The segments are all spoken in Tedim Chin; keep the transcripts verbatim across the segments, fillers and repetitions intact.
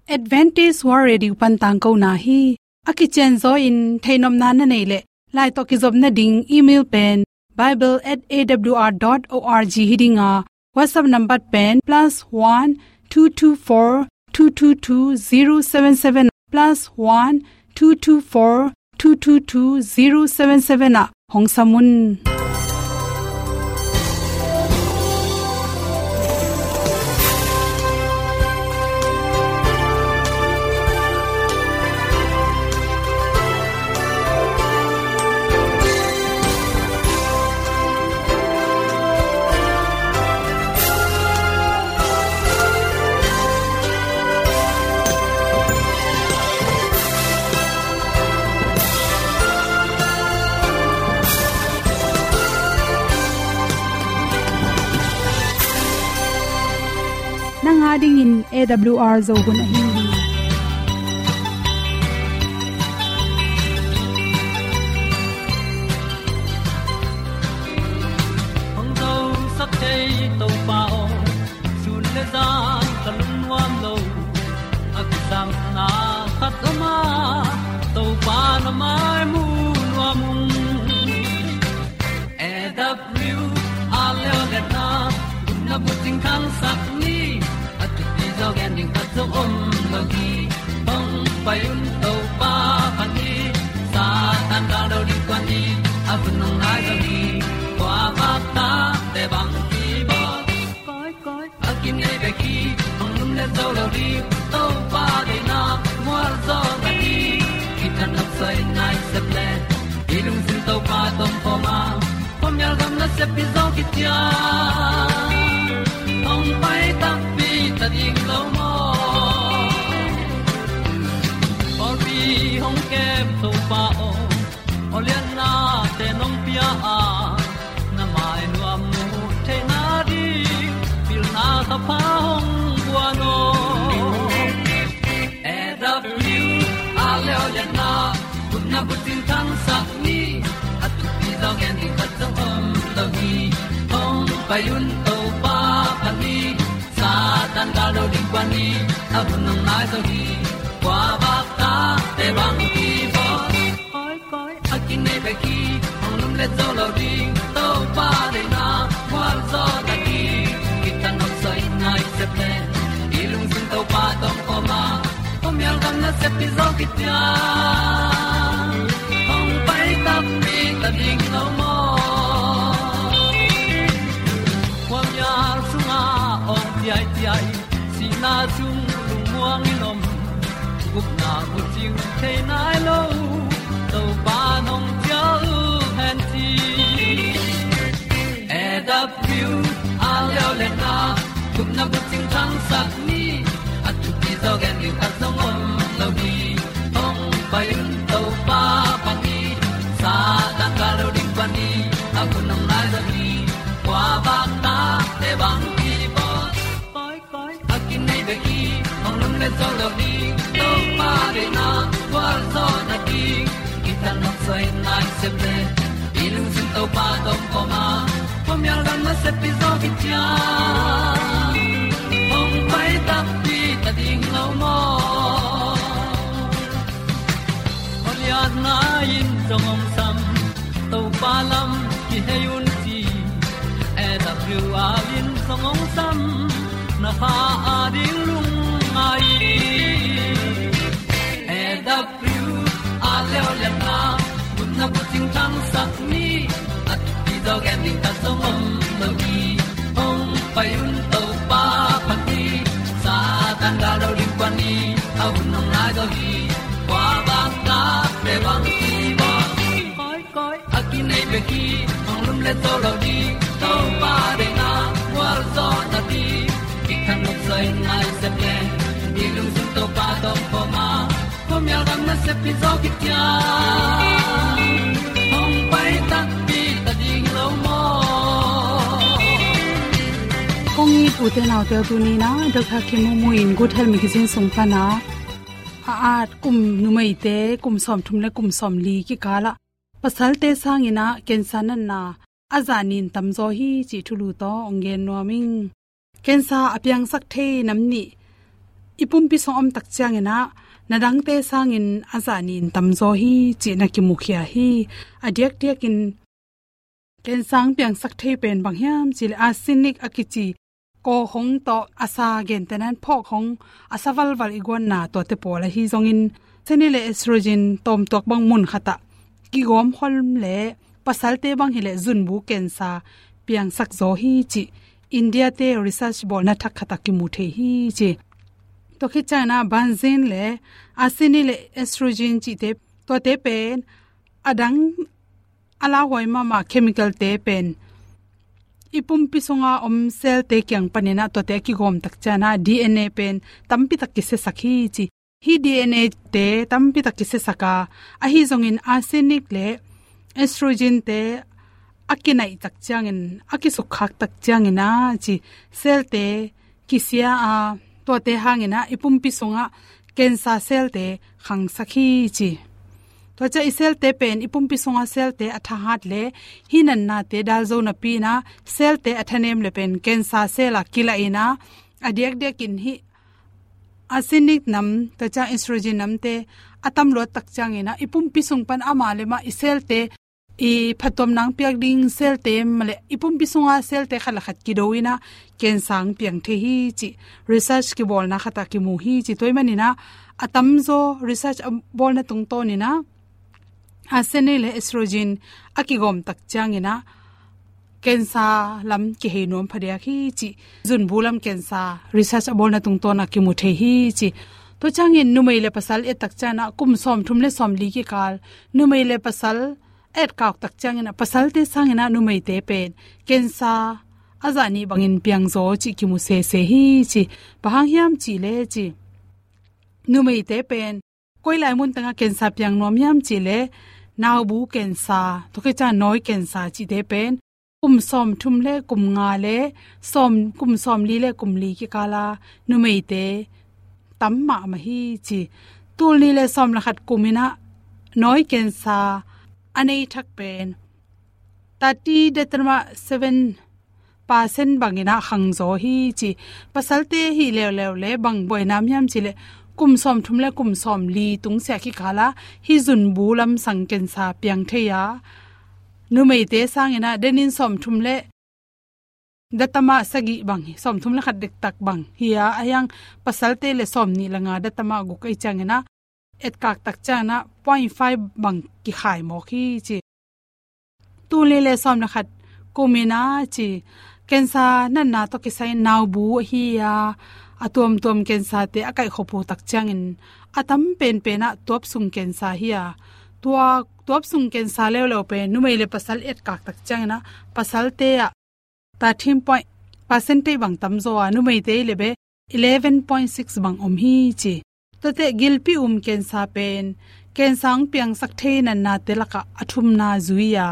Adventist World Radio pan tangkona hi. A kicianzaw in theihnopna na neih leh, lai tawh kizopna ding email pen bible at A W R dot org hi ding a, WhatsApp number pen plus one two two four two two two zero seven seven, plus one two two four two two two zero seven seven ah hong sam un. Nang a dingin A W R Zo hun ahi hi. Hong zosak thei Topa aw, sun le zan ka lungnuam lo. A kisapna khat om a, Topa na mai mu nuam ung. A W R leo le na, gupna bucing khangsak ni, a thupi zaw gen ding khat zong om lo hi. Hong pai un Topa phat ni, Satan gal do ding kuan ni, a hun hong nai zo hi. Kua bak ta te bang ki bawl. Koi, koi, a kinei bek hi, hong lum le zo lo ding, Topa deihna mual zaw na hi. Kitang nok soi nai sep le, i lungsim Topa tawh om khawm a, khuamial gam nasep pi zaw kician. Hong pai takpi ta ding lo maw? Pawlpi hong kem Topa aw, aw liannate nong pia a, na mai nuam mu theihna ding, pilna thapha hong guan aw. A W R leo le na, gupna bucing khangsak ni, a thupi zaw gen ding khat zong om lo hi. Hong pai un Topa phat ni, Satan gal do ding kuan ni, a hun hong nai zo hi. Kua bak ta te bang ki bawl. Koi, koi, a kinei bek hi, hong lum le zo lo ding, Topa deihna mual zaw na hi. Kitang nok soi nai sep le, i lungsim Topa tawh om khawm a, khuamial gam nasep pi zaw kician. Hong pai takpi ta ding lo maw? Khuamial sungah awng ciaiciai, sihna sung lungmuang in om, gupna bucing thei nai lo, Topa nong cial hen ci. A W R leo le na, gupna bucing khangsak ni, a thupi zaw gen ding khat zong om lo hi. Hong pai un Topa phat ni, Satan gal do ding kuan ni, a hun hong nai zo hi. Kua bak ta te bang ki bawl. Koi, koi, a kinei bek hi, hong lum le zo lo ding, Topa deihna mual zaw na hi. Kitang nok soi nai sep le, i lungsim Topa tawh om khawm a, khuamial gam nasep pi zaw kician. Hong pai takpi ta ding lo maw? Aw lianna in zong hong sam, Topa lam kihei un ci. A W R in zong hong sam, na pha a ding lungngai. A W R leo le na, gupna bucing khangsak ni, a thupi zaw gen ding khat zong om lo hi. Hong pai un Topa phat ni, Satan gal do ding kuan ni, a hun hong nai zo hi. Kua bak ta te bang ki bawl. Koi, koi, a kinei bek hi, hong lum le zo lo ding, Topa deihna mual zaw na hi. Kitang nok soi nai sep le, i lungsim Topa tawh om khawm a, khuamial gam nasep pi zaw kician. Hong pai takpi ta ding lo maw? Kong it ute naute, tuni-in ah Doctor Kim Mu Mu in Good Health Magazine sung pan ah, a at kum numeite kum sawmthum le kum sawmli kikal ah pasalte sangin ah cancer natna a zah nin tamzaw hi cih thulu tawh hong gen nuam ing. Cancer a piangsak thei nam nih i pumpi sung om tak ciangin ah, na dangte sangin a zah nih in tamzaw hi cih na kimukhia hi. A diakdiakin cancer piangsak thei pen bang hiam cih leh arsenic a kici kaw hong tawh a sa, gentehna in phawk hong a sa valval i guanna tuate pawl ahi zongin, arsenic le estrogen tawmtuak bang mun khat ah kigawm khol leh pasalte bang hi leh zunbu cancer piangsak zaw hi cih India-te research bawlna thak khat ah kimu thei hi ci. Tua khit ciangin ah benzene le arsenic le estrogen cihte, tuate pen a dang a lauhuai mahmah chemical-te pen i pumpi sunga om cell-te kiang panin ah tuate a kigawm tak ciangin ah D N A pen tampi tak kisiasak hi ci. Hih D N A-te tampi tak kisiasak a, ahi zongin arsenic le estrogen-te a kinaih tak ciangin, a kisukkhak tak ciangin ah ci, cell-te kisia a, tuate hangin ah i pumpi sungah cancer cell-te khangsak hi ci. Tua ciang i cell-te pen i pumpi sunga cell-te a thahat leh hih natnate dal zo napi-in ah cell-te a thanem leh pen cancer cell ah kilaih in ah, a diakdiakin hih arsenic nam, tua ciang estrogen namte a tam luat tak ciangin ah i pumpi sung pan amah le mah i cell-te, i phattuamna piak ding cell-te mah leh i pumpi sunga cell-te khat le khat kido in ah cancer piang thei hi cih research kibawlna khat ah kimu hi ci. Tua ahih manin ah a tamzaw research a bawlna tungtawnin ah arsenic le estrogen a kigawm tak ciangin ah cancer lam kihei nuam phadiak hi cih zunbu lam cancer research a bawlna tungtawn ah kimu thei hi ci. Tua ciangin numei le pasal et tak ciangin ah kum sawmthum le sawmli kikal numei le pasal etkak tak ciangin ah pasalte sangin ah numeite pen cancer a zah nih bangin piangzaw cih kimu sese hi ci. Bang hang hiam cih leh ci, numeite pen koi lai mun tengah cancer piang nuam hiam cih leh naubu cancer, tua khit ciang nawi cancer cihte pen kum sawmthum le kum nga le sawm, kum sawmli le kum li kikal a numeite tam mahmah hi ci. Tul nih le sawm le khat kumin ah nawi cancer a nei thak pen thirty dotama seven percent bangin ah khangzaw hi ci. Pasalte hi leuleu leh bang buaina om hiam cih leh kum sawmthum le kum sawmli tungsiah kikal ah hih zunbu lamsang cancer piang thei a, numeite sangin ah denin sawmthum le dotama sagih bang hi, sawmthum le khat dektak bang hi a, ahih hang pasalte le sawmnih le nga dotama guk ahih ciangin ah etkak tak ciangin ah point five bang kikhai mawk hi ci. Tul nih le sawm le khat kumin ah ci, cancer natna tawh kisai naubu ahi a, a tuamtuam cancer-te a kaihkhop uh tak ciangin a tam penpen ah tuapsung cancer hi a, tua tuapsung cancer leuleu pen numei le pasal etkak tak ciangin ah pasalte ah thirteen point percentage bang tamzaw a, numeite hi leh bel eleven point six bang om hi ci. Tuate gilpi um cancer pen cancer hong piangsak thei natnate lakah a thumna zui a,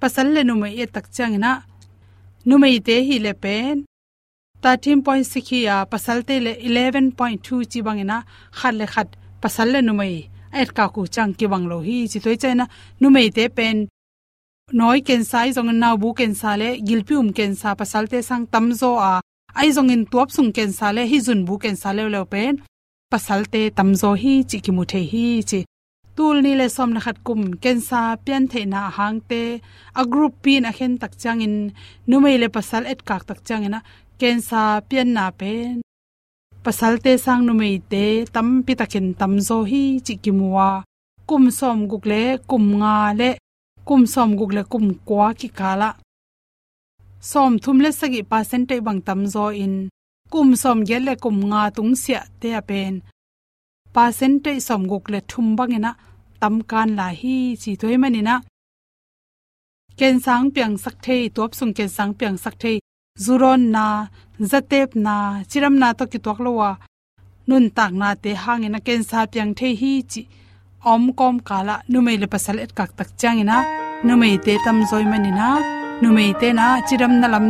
pasal le numei et tak ciangin ah numeite hi leh pen thirteen point six hi a, pasalte leh eleven point two ci bangin ah khat le khat pasal le numei a etkak uh ciang kibang lo hi ci. Tua ahih ciangin ah numeite pen nawi cancer ahi zongin naubu cancer le gilpi um cancer pasalte sang tamzaw a, ahi zongin tuapsung cancer le hih zunbu cancer leuleu pen pasalte tamzaw hi cih kimu thei hi ci. Tul nih le sawm le khat kum cancer piantheihna a hangte a group pi-in a khen tak ciangin numei le pasal etkak tak ciangin ah cancer pianna pen pasalte sang numeite tampi takin tamzaw hi cih kimu a, kum sawmguk le kum nga le kum sawmguk le kum kua kikal ah sawmthum le sagih percentage bang tamzaw in, kum sawmgiat le kum nga tungsiahte ah pen percentage sawmguk le thum bangin ah tamkan lai hi ci. Tua ahih manin ah cancer hong piangsak thei, tuapsung cancer hong piangsak thei, zu dawnna, zatepna, cidamna tawh kituak lo a nuntaknate hangin ah cancer piang thei hi cih a om kawmkal ah numei le pasal etkak tak ciangin ah numeite tamzaw ahih manin ah numeite in ah cidamna lam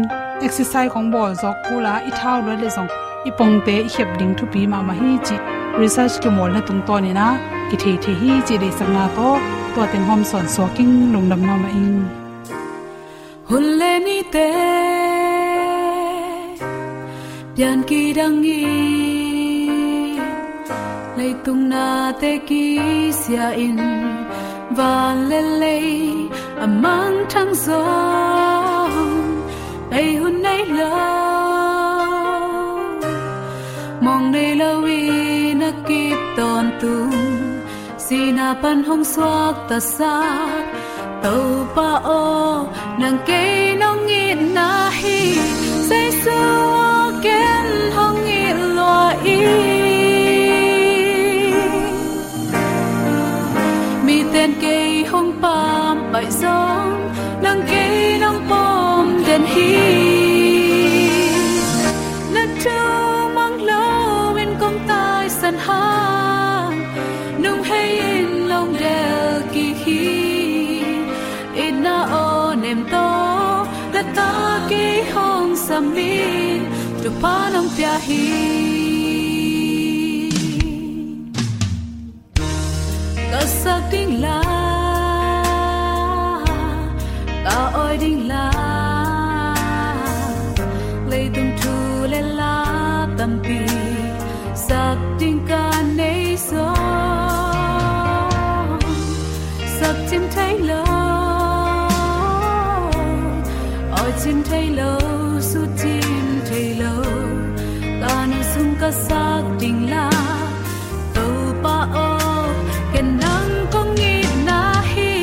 exercise khong bawl zawk kul a, i thau luat leh zong i pongte i khep ding thupi mahmah hi cih research kimawlna tungtawnin ah kithei thei hi cih deihsakna tawh tua teng hawmsawn suak ing. Lungdam mahmah ing. Hun le nite pian kidang hi. Leitung nate kisia in van le lei a mangthang zong, ei hun nei lo, mong nei lo in a kip tawntung, sihna pan hong suaktasak Topa aw, nang kei nong itna hi. Jesu aw, ken hong it lua in. Miten kei hong pampaih zong, nang kei nong pom den hi. Na thu mang lo in kong taisan hang, nung hei in long del kik hi. Itna aw nem tawh, na ta kei hong sam in, thupha nong pia hi. Ka sak ding la, ka awi ding la, leitung thu le la tampi sak ding ka nei zong, sak cin thei lo, awi cin thei lo, sut cin thei lo, ka nun sung ka sak ding la. Topa aw, ken nang kong itna hi.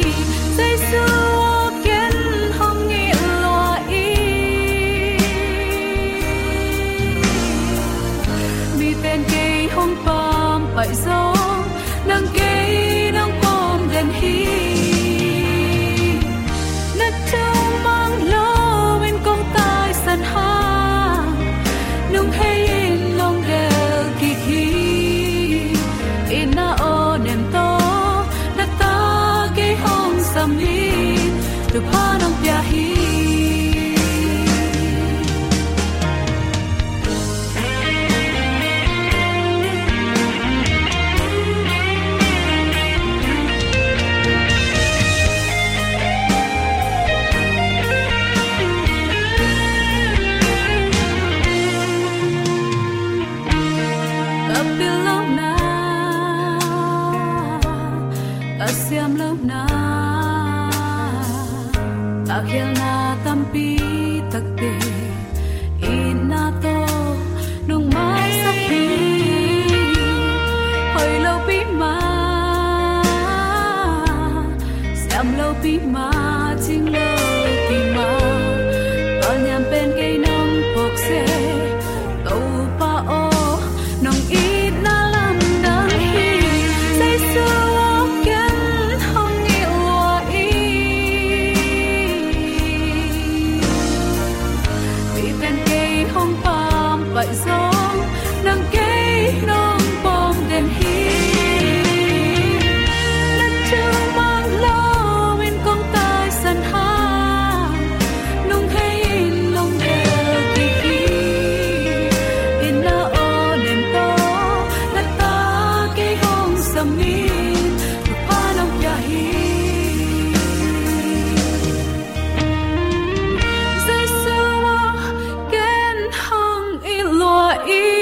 Jesu aw, ken hong it lua in. Miten kei hong pampaih zong, nang kei nong pom den hi. Na thu mang lo in kong taisan hang, nung hei in long del kik hi. Itna aw nem tawh, na ta kei hong sam in, thupha nong pia hi. Ka pil lo na, ka siam lo na, ka khialna tampi takte, itna tawh nong maisak hi. Hoih lo pi mah, siam lo pi mah, cing lo pi mah, ka niam pen kei nong phawk se. Topa aw, nong itna lamdang hi. Jesu aw, ken hong it lua in. Miten kei hong pampaih zong, nang kei nong pom den hi. Na thu mang lo in kong taisan hang, nung hei in long del kik hi. Itna aw nem tawh, na ta kei hong sam in, thupha nong pia hi. Jesu aw, ken hong it lua in.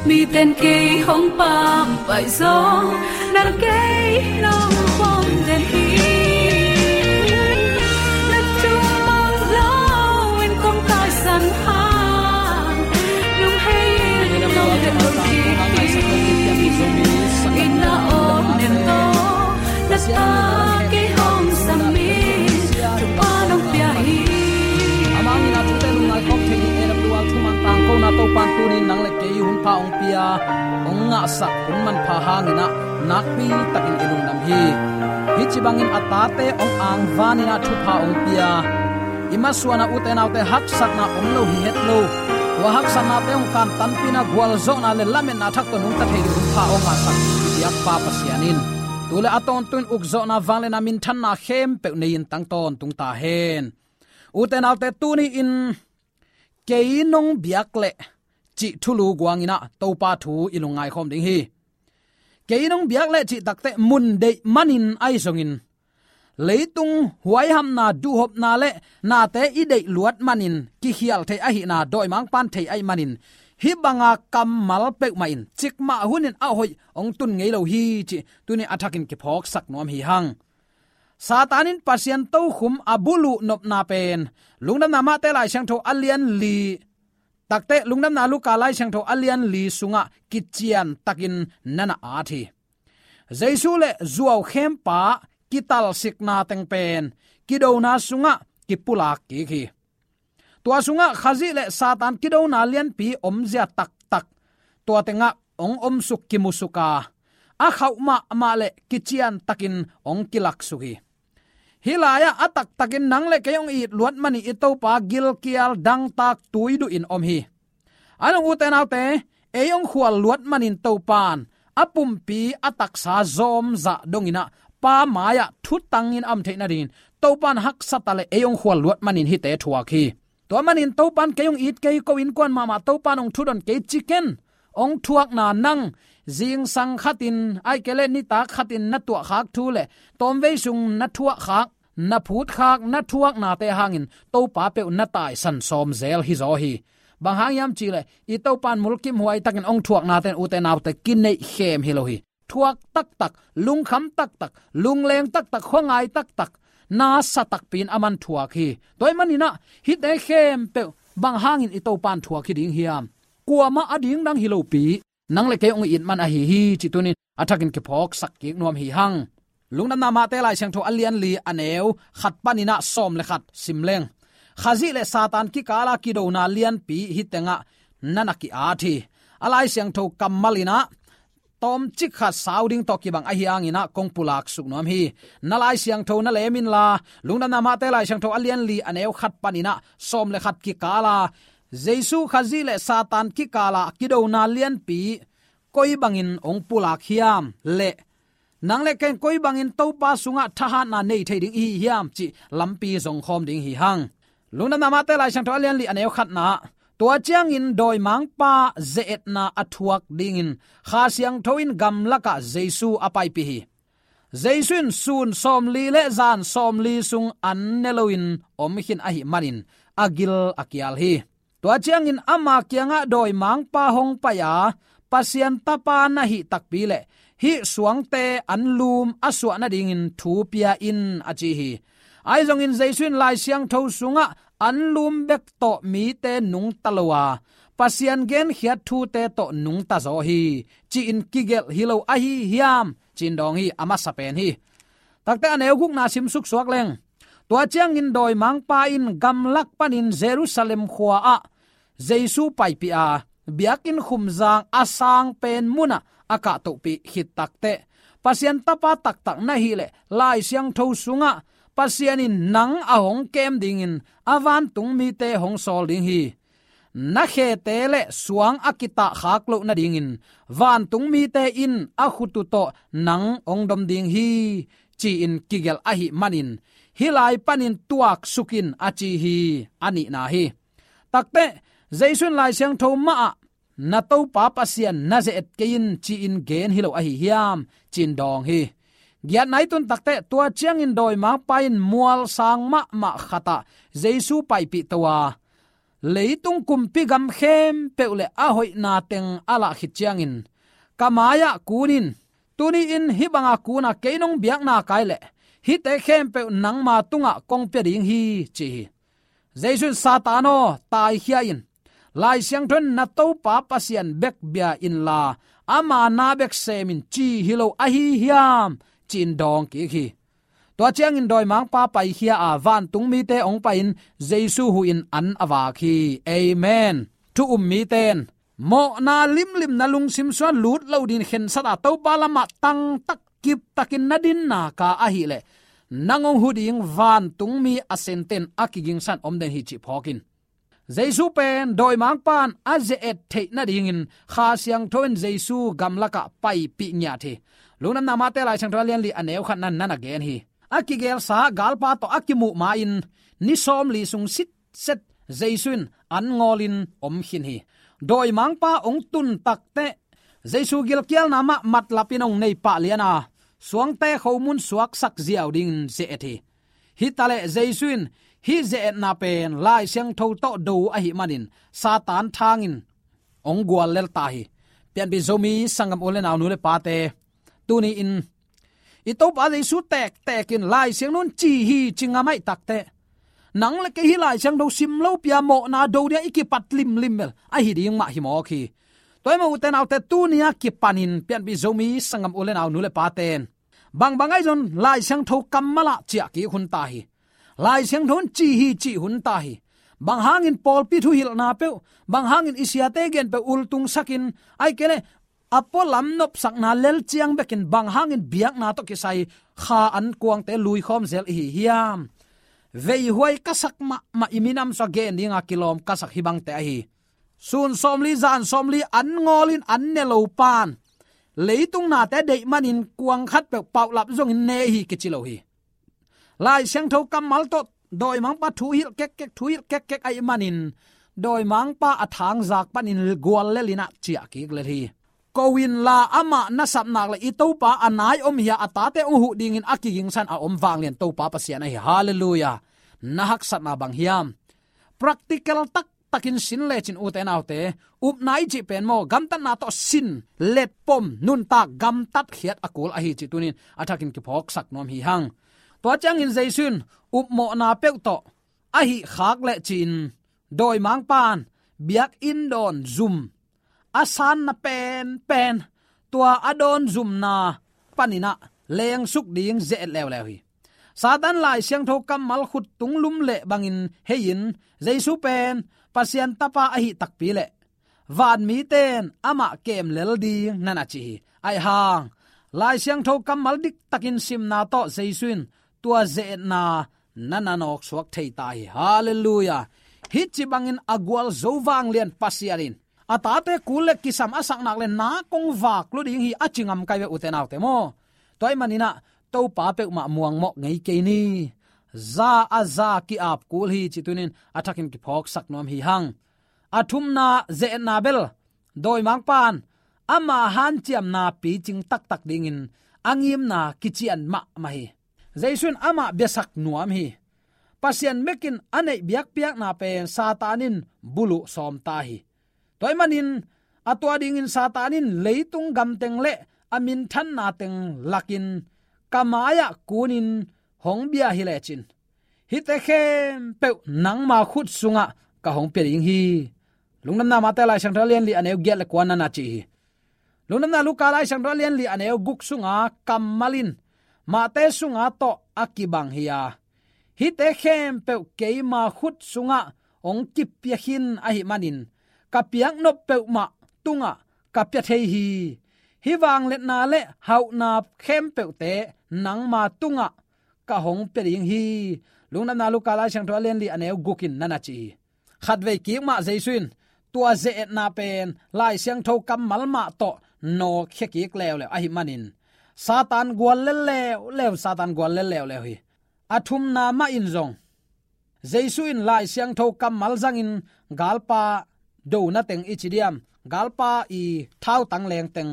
Miten kei hong pampaih zong, nang kei nong pom den hi. Na thu mang lo in kong taisan hang, nung hei in long del kik hi. Itna aw nem tawh, na ta kei hong sam in, thupha nong pia hi. Amah in a thute lungngai khawm thei ding, A W R thumang tangkona Topa'n tuni-in nang le kei hun pha hong pia, hong ngahsak hun manpha hangin ah nakpi takin i lungdam hi. Hih ci bangin a tate hong angvanin ah thupha hong pia, i masuan ah ute naute haksatna om lo hi het lo. Tua haksatnate hong kantanpihna, gualzawhna le lametna thak tawh nungta thei ding hun pha hong ngahsak i biakpa Pasian in tu le a tawntung ukzawhna, vangliatna, minthanna khempeuh nei-in tang tawntung ta hen. Ute naute, tuni-in kei nong biak leh cih thulu guangin ah Topa thu i lungngai khawm ding hi. Kei nong biak leh cih takte mun deih manin ahi zongin, leitung huaihamna, duhhopna le nate i deih luat manin kikhial thei ahihna dawimangpa'n thei ahih manin, hih banga kammal peuhmah in cikmah hunin a hoih hong tun ngei lo hi cih tuni a thakin kiphawksak nuam hi hang. Satan in Pasian tokhum a buluh nopna pen Lungdamna Mate Lai Siangtho a lian li, takte Lungdamna Luka Lai Siangtho a lian li sungah kician takin na na at hi. Jesu le zuaukhempa kitalsikna teng pen kidona sungah kipulak kik hi. Tua sungah Khazih le Satan kidona lianpi omzia taktak tua tengah hong omsuk kimusuk a, a khauh mahmah le kician takin hong kilaksuk hi. Hih lai-ah a taktakin nang le kei hong it luat manin i Topa gilkial dangtak tuiduh in om hi. A nung ute naute, ei hong khual luat manin Topan a pumpi a taksa zawmzah donginah Pa mai-ah thutangin a om theih nadingin Topan haksat a le ei hong khual luat manin hihte thuak hi. Tua manin Topan kei hong it kei ko innkuan mahmah Topan hong thudon kei ci ken. Hong thuakna nang zingsang khatin, ahih kei leh nitak khatin na tuahkhak thu le tawmvei sung na thuahkhak, na phutkhak, na thuaknate hangin Topa peuh na taisan sawm zel hi zaw hi. Bang hang hiam cih leh i Topan mulkimhuai takin hong thuaknate in ute naute kineihkhem hi lo hi. Thuak taktak, lungkham taktak, lungleng taktak, khuangai taktak, nasa takpi in aman thuak hi. Tua ahih maninah hihte khempeuh bang hangin i Topan thuak hi ding hiam? Kuamah a dingdang hi lopi, nang le kei hong it man ahi hi cih tunin a thakin kiphawksak kik nuam hi hang. Lungdamna Mate Lai Siangtho a lian li a neu khat paninah sawm le khat sim leng. Khazih le Satan kikala kidona lianpi hih tengah na na ki-at hi. A Lai Siangtho kammal inah tawmcik khat sau ding tawh kibang ahi hanginah kong pulaksuk nuam hi. Na Lai Siangtho na lem inla, Lungdamna Mate Lai Siangtho a lian li a neu khat paninah sawm le khat kikala Jesu Khazih le Satan kikala kidona lianpi koi bangin hong pulak hiam le nang le kei koi bangin Topa sungah thahatna nei thei ding i hi hiam cih lampi zongkhawm ding hi hang. Lungdamna Mate Lai Siangtho a lian li a neu khatna, tua ciangin dawimangpa ze-etna a thuak dingin Kha Siangtho in gamlakah Jesu a paipih hi. Jesu in sun sawmli le zan sawmli sung an ne loin om khin ahih manin a gil a kial hi. Tua ciangin ama kiangah dawimangpa hong pai a, Pasian Tapa na hih takpi le hih suangte anlum a suah nadingin thu pia in a ci hi. Ahi zongin Jesu in Lai Siangtho sungah anlum bek tawh mite nungta lo a, Pasian genkhiat thute tawh nungta zaw hi, ci-in kigelh hi lo ahi hiam? Ci-in dawng hi, a masa pen hi. Takte a neu gukna simsuk suak leng. Tua ciangin dawimangpa in gamlak panin Jerusalem khua-ah Jesu paipih a, biakinn khumzang a sang pen munah a kahtohpih khit takteh, Pasian Tapa taktak na hih leh Lai Siangtho sungah Pasian in nang a hong kem dingin a vantung mite hong sawl ding hi. Na khete le suang a kitahkhak loh nadingin vantung mite in a khut uh tawh nang hong dom ding hi, ci-in kigelh ahih manin hih lai panin tuaksuk in a ci hi, a nihna hi. Takteh, Jesu in Lai Siangtho mahah na Topa Pasian na ze-et kei in ci-in gen hi lo ahi hiam, ci-in dawng hi. Giatna i tun takteh, tua ciangin dawimangpa in mualsang mahmah khatah Jesu paipih to a, leitung kumpi gam khempeuh le a hoihna teng a lah khit ciangin, ka mai-ah kun in, tuni-in hih banga kun a kei nong biakna kai leh hihte khempeuh nangma tungah kong pia ding hi, ci hi. Jesu in, Satan aw, taikhia in. Lai Siangtho in na Topa Pasian bek bia inla ama na bek sem in ci hi lo ahi hiam, ci-in dawng kik hi. Tua ciangin dawimangpa paikhia a, vantung mite hong pai-in Jesu huhin an a vak hi. Amen. Thu um mite in mawhna limlim na lungsim sungah lut lo dingin khensat a, Topa lamah tangtak kiptakin na dinna ka ahih leh nang hong hu ding vantung mi a sente in a kigingsan om den hi cih phawk in. Jesu pen dawimangpa in a ze-et theih nadingin Kha Siangtho in Jesu gamlakah paipih ngiat hi. Lungdamna Mate Lai Siangtho a lian li a neu khatna in na na gen hi. A kigelsa galpa tawh a kimuh ma-in ni sawmli sung sitset Jesu in an ngawlin om khin hi. Dawimangpa hong tun takteh Jesu gilkialna mah matlapin hong nei pah lian a, suangte khomun suaksak ziau dingin ze-et hi. Hi taleh Jesu in hih ze-etna pen Lai Siangtho tawh do ahih manin Satan thangin hong guallel ta hi. Pianpih Zomi sanggam u le nau, nu le pate, tuni-in i Topa Jesu tektek in Lai Siangtho in ci hi ci ngam ahih takteh, nang le kei hih Lai Siangtho sim lopi-a mawhna do ding-a i kipat limlim bel ahi ding mah hi mawk hi. Tua ahih manin ute naute, tuni-a kipanin Pianpih Zomi sanggam u le nau, nu le pate'n bangbang ahi zong Lai Siangtho kammal ah ciah kik hun ta hi. Lai Siangtho in ci hi cih hun ta hi. Bang hangin pawlpi thuhilhna peuh, bang hangin i siate gen peuh ultungsakin, ahih kei leh a pualam nopsakna lel ciang bekin bang hangin biakna tawh kisai kha an kuangte luikhawm zel i hi hiam? Veihuai ka sak mahmah, i minam sua gen dinga kilawm ka sak hih bangte ahi. Sun sawmli, zan sawmli an ngawlin an ne lo pa'n leitung nate deih manin kuang khat peuh paulap zongin ne hi kici lo hi. Lai Siangtho kammal tawh dawimangpa thuhilh kekkek, thuhilh kekkek ahih manin dawimangpa a thangzak panin guallel in ah ciah kik lel hi. Ko inla, amah na sap nak leh i Topa a nai om hi a, a tate hong huh dingin a kigingsa in a om vanglian Topa Pasian ahi. Halleluiah. Na haksatna bang hiam? Practical taktakin sin lecin, ute naute, upna i cih pen maw, gamtatna tawh sin, letpom, nuntak, gamtatkhiat a kul ahi cih tuni-in a thakin kiphawksak nuam hi hang. Tua ciangin Jesu in upmawhna peuh tawh a hih khak leh ci-in, dawimangpa'n biakinn dawn zum a sanna penpen, tua a dawn zumna panin ah lengsuk ding ze-et leuleu hi. Satan Lai Siangtho kammal khut tung lum leh bangin hei-in, Jesu pen Pasian Tapa ahih takpi leh vanmite'n amah kem lel ding na na ci hi. Ahih hang Lai Siangtho kammal diktakin simna tawh Jesu in tua ze-etna na na nawksuak thei ta hi. Halleluiah. Hih ci bangin a gualzo vanglian Pasian in a tate kul leh kisam a sak nak leh nak hong vak lua ding hi a ci ngam kai ve, ute naute maw. Tua ahih manin ah Topa peuhmah muangmawh ngei kei ni. Za a za ki-ap kul hi cih tuni-in a thakin kiphawksak nuam hi hang. A thumna, ze-etna bel dawimangpa'n ama hanciamna picing taktak dingin a ngimna kician mahmah hi. Jesu in amah biasak nuam hi. Pasian bekin a neih biakpiakna pen Satan in buluh sawm ta hi. Tua ahih manin a tua dingin Satan in leitung gamteng leh a minthanna teng lakin ka mai-ah kunin hong bia hi lecin, hihte khempeuh nangma khut sungah ka hong pia ding hi. Lungdamna Mate Lai Siangtho a lian li a neu giat leh kua na na ci hi. Lungdamna Luka Lai Siangtho a lian li a neu guk sunga kammal in Mate sunga tawh a kibang hi a, hihte khempeuh keima khut sungah hong kipia khin ahih manin ka piaknop peuhmah tungah ka pia thei hi. Hih vangliatna leh hauhna khempeuhte nangma tungah ka hong pia ding hi. Lungdamna Luka Lai Siangtho a lian li a neu guk in na na ci hi. Khatvei kik mah Jesu in tua ze-etna pen Lai Siangtho kammal mah tawh nawkkhia kik leuleu ahih manin Satan guallel leuleu, Satan guallel leuleu hi. A thumna mah in zong Jesu in Lai Siangtho kammal zangin galpa dona teng i ci diam, galpa i thautang leng teng,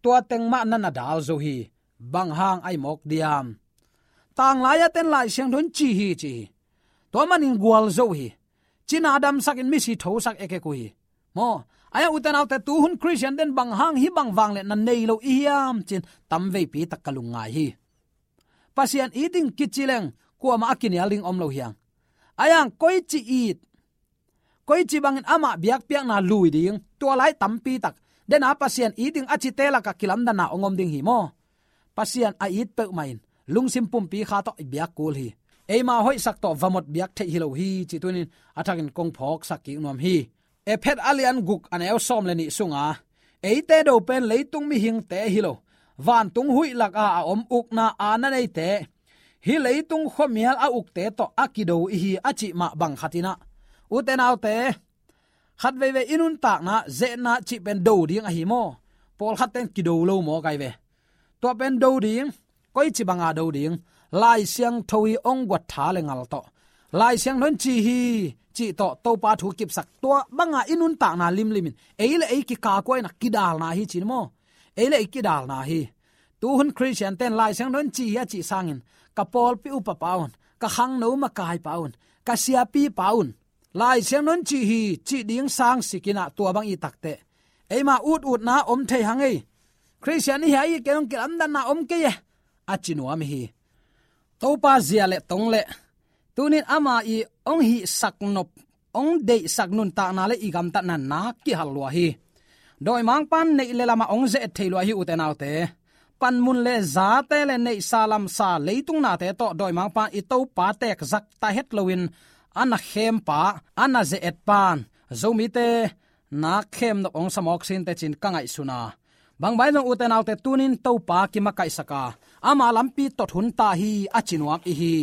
tua teng mah na na dal zo hi. Bang hang ahih mawk diam? Tanglai-a te'n Lai Siangtho in ci hi ci hi. Tua manin gualzo hi. Cina damsakin misi thosak ekek uh hi. Maw, ahih hang ute naute, tuhun Khristiante'n bang hang hih bang vangliatna nei lo i hiam ci-in tamveipi tak ka lungngai hi. Pasian it ding kici leng kuamah a kinial ding om lo hi hang. Ahih hang koici it, koici bangin amah biakpiakna lui ding, tua lai tampi tak, dena Pasian it ding a cite lakah kilamdanna hong om ding hi maw. Pasian a it peuhmah in lungsim pumpi kha tawh i biak kul hi. Eima hoihsak tawh va mot biak theih hi lo hi cih tuni-in a thakin kong phawksak kik nuam hi. Efesa a lian guk a neu sawm le nih sunga, eite do pen leitung mihingte hi lo, vantung huih lakah a om ukna aana neite, hih leitung khuamial a ukte tawh a kido i hi a cih mah bang khat in ah, ute naute, khatveivei i nuntakna, ze-etna cih pen do ding ahi maw. Pawlkhatte'n kido lo maw kai ve. Tua pen do ding, koici banga do ding? Lai Siangtho i hong guat tha le ngal tawh, Lai Siangtho in ci hi cih tawh Topa thu kipsak, tua banga i nuntakna limlimin ei le ei kikakua in ah kidalna hi ci-in maw. Ei le ei kidalna hi. Tuhun Khristiante'n Lai Siangtho in ci hi a cih sangin ka pawlpi upapa un, ka khangno makaipa un, ka siapipa un, Lai Siangtho in ci hi, ci ding sang sikin ah tua bang i takte, eima ututna om thei hang ei. Khristian i hi a i kei hong kilamdanna om kei e, a ci nuam hi. Topa zia le tong le tunin ama i hong hihsak nop, hong deihsak nuntakna le i gamtatna nak kihal lua hi. Dawimangpa'n neih le lamah hong ze-et thei lua hi, ute naute. Panmun le zate le neihsa lamsa leitung nate tawh dawimangpa'n i Topa tekzak ta het loin a na khempa, a na ze-etpa'n Zomite nak khem nop hong sa mawk sinte cin ka ngaihsun a. Bang bang zong, ute naute, tunin Topa kimakaihsak a, ama lampi tot hun ta hi, a ci nuam i hi.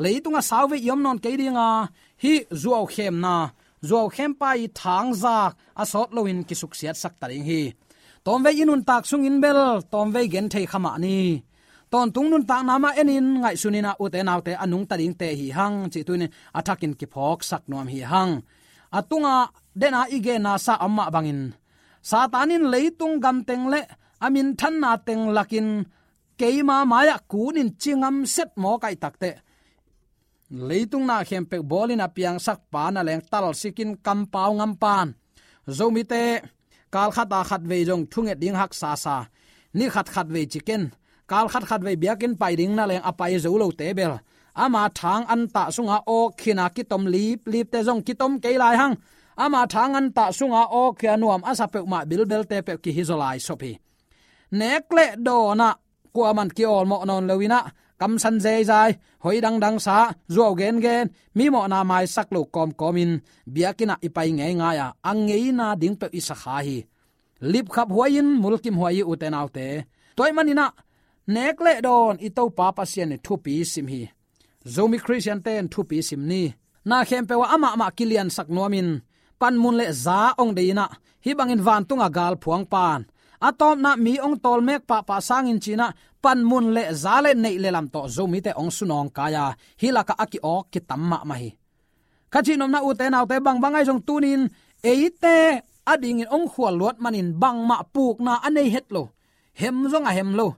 Leitung ah sauvei i om nawn kei ding a, hih zuau khemna, zuau khempa i thangzak a sawt loin kisuksiatsak ta ding hi. Tawmvei i nuntak sungin bel tawmvei gen thei kha mah ni. Tawntung nuntakna mah enin ngaihsun in ah, ute naute, a nungta dingte hi hang cih tunin a thakin kiphawksak nuam hi hang. A tungah dena i genna sa om mah bangin, Satan in leitung gamteng le a minthanna teng lakin keima mai-ah kunin cingamset mawk ahih takteh, leitung na khempeuh bawlin a piangsakpa na leng talsikin kampau ngampa'n Zomite kal khat a khatvei zong thunget ding haksa sa, ni khat khatvei ci ken, kal khat khatvei biakinn pai ding na leng a pai zo lote bel, ama thang antah sunga awk khin a kitom liplipte zong kitom kei lai hang. Ama thang antah sunga awk khin a nuam a sa peuhmah bilbelte peuh kihi zaw lai sop hi. Nek le dawn ah kuaman kiawlmawh nawn loin ah, kamsan zeizai, hoi dangdang sa, zuau gengen, mi mawhna maisak lo kawmkawmin biakinn ah i pai ngeingai a, a ngeina ding peuh i sa kha hi. Lipkhap huai-in mulkimhuai hi, ute naute. Tua ahih manin ah, nek le dawn i Topa Pasian in thupi sim hi. Zomi Khristiante in thupi sim ni. Na khempeuh ah amah mah kiliansak nuamin, panmun le za hong dei in ah, hih bangin vantungah gal phuangpa'n, a tawpna mi hong tawlmek pahpah sangin ci-in ah, panmun le za le neih le lam tawh Zomite hong sunawngkai a, hih lakah a ki-awk kitam mahmah hi. Ka cihnopna, ute naute, bang bang ahi zong tunin eite adingin hong khual luat manin bangmah pukna a nei het lo, hem zong a hem lo,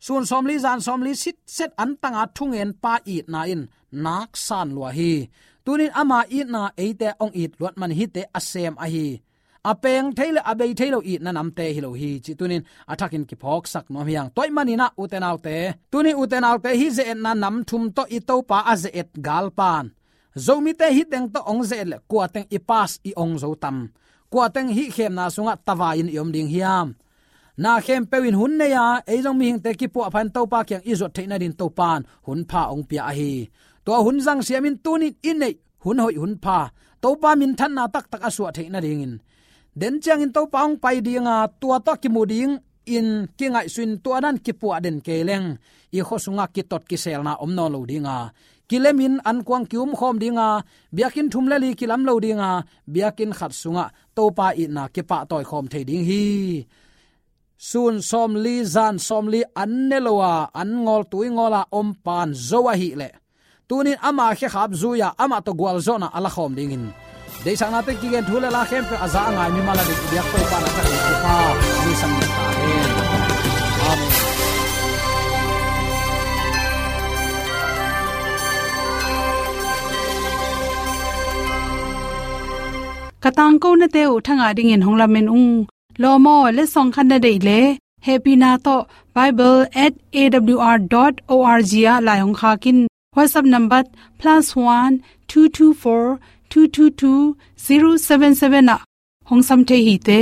sun sawmli zan sawmli sitset antanga thungenpa itna in nak san lua hi. Tunin ama itna eite hong it luat man hihte a sem ahi, a peng thei le a bei thei lo itna namte hi lo hi, cih tunin a thakin kiphawksak nuam hi hang. Tua ahih manin ah, ute naute, tunin ute naute, hih ze-etna nam thum tawh i Topa a ze-et galpa'n, Zomite hih teng tawh hong ze-et leh kua teng i pass i ong zo tam? Kua teng hih khemna sungah tavai-in i om ding hiam? Na khempeuh in hun nei a, ei zong mihingte kipuahpha in Topa kiang i zuat theih nadingin Topa'n hun pha hong pia ahi. Tua hun zangsiamin tunin i neih hun hoih hun pha, Topa minthanna taktak a suah theih nadingin, den ciangin Topa hong pai ding a, tua tawh kimu dingin kingaihsun, tua dan kipuah den kei leng, i khua sungah kitot kiselna om nawn lo ding a, kilemin ankuang ki-umkhawm ding a, biakinn thum le li kilam lo ding a, biakinn khat sungah Topa itna kipahtawi khawm thei ding hi. Sun sawmli zan sawmli an ne lo a, an ngawl tui ngawl a om pa'n zo ahih leh, tunin ama khekhap zui-a amah tawh gualzawhna a lakhawm dingin, deihsaknate kigen thu le la khempeuh a za a ngai mimal adingin i biak Topa'n a thakin thupha hong hisak ta hen. Amen. Ka tangkonate uh thangah dingin hong lamen ung. Lawm aw, letsong khat na deih leh, hehpihna tawh bible at A W R dot O R G ah lai hong khak in. WhatsApp number plus one two two four two two two zero seven seven ah hong sam thei hi te.